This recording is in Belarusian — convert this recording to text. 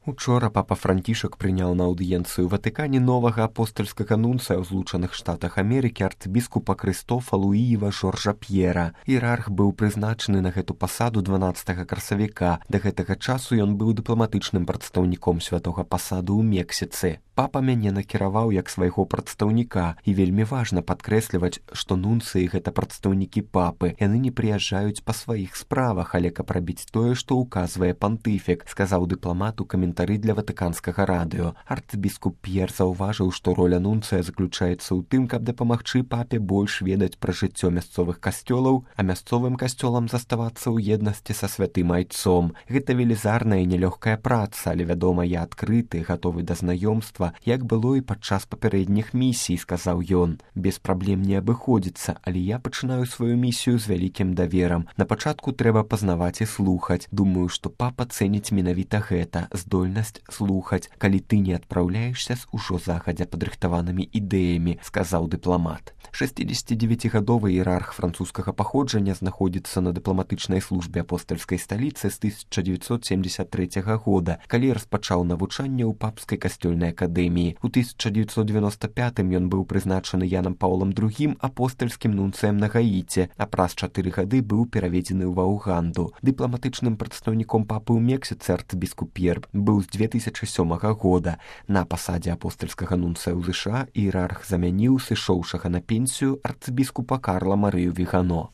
Учора папа Францішак прыняў на аўдыенцыю ў Ватыкане новага апостальскага нунцыя ў Злучаных Штатах Амерыкі арцыбіскупа Крыстофа Луіева Жоржа П'ера. Іерарх быў прызначаны на гэту пасаду 12 красавіка. Да гэтага часу ён быў дыпламатычным прадстаўніком святога пасаду ў Мексіцы. Папа мяне накіраваў як свайго прадстаўніка, і вельмі важна падкрэсліваць, што нунцыі гэта прадстаўнікі папы. Яны не прыязджаюць па сваіх справах, але каб рабіць тое, што ўказвае пантыфік, сказаў дыпламат у каментары для ватыканскага радыё. Арцыбіскуп П'ер заўважыў, што роля нунцыя заключаецца ў тым, каб дапамагчы папе больш ведаць пра жыццё мясцовых касцёлаў, а мясцовым касцёлам заставацца ў еднасці са святым айцом. Гэта велізарная і нялёгкая праца, але, вядома, я адкрыты, гатовы да знаёмства, як было і падчас папярэдніх місій, сказаў ён. Без праблем не абыходзіцца, але я пачынаю сваю місію з вялікім даверам. На пачатку трэба пазнаваць і слухаць. Думаю, што папа цэніць менавіта гэта, здольнасць слухаць, калі ты не адпраўляешся з ужо загадзя падрыхтаванымі ідэямі, сказаў дыпламат. 69-гадовы іерарх французскага паходжання знаходзіцца на дыпламатычнай службе апостальскай сталіцы з 1973 года, калі распачаў навучанне ў папскай касцёльнай акадэміі. У 1995 ён быў прызначаны Янам Паўлам II апостальскім нунцыем на Гаіце, а праз 4 гады быў пераведзены ў Уганду. Дыпламатычным прадстаўніком папы ў Мексіцы арцыбіскуп П'ер быў з 2007 года. На пасадзе апостальскага нунцыя ў ЗША іерарх замяніў сышоўшага на пенсію арцыбіскупа Карла Марыю Вігано.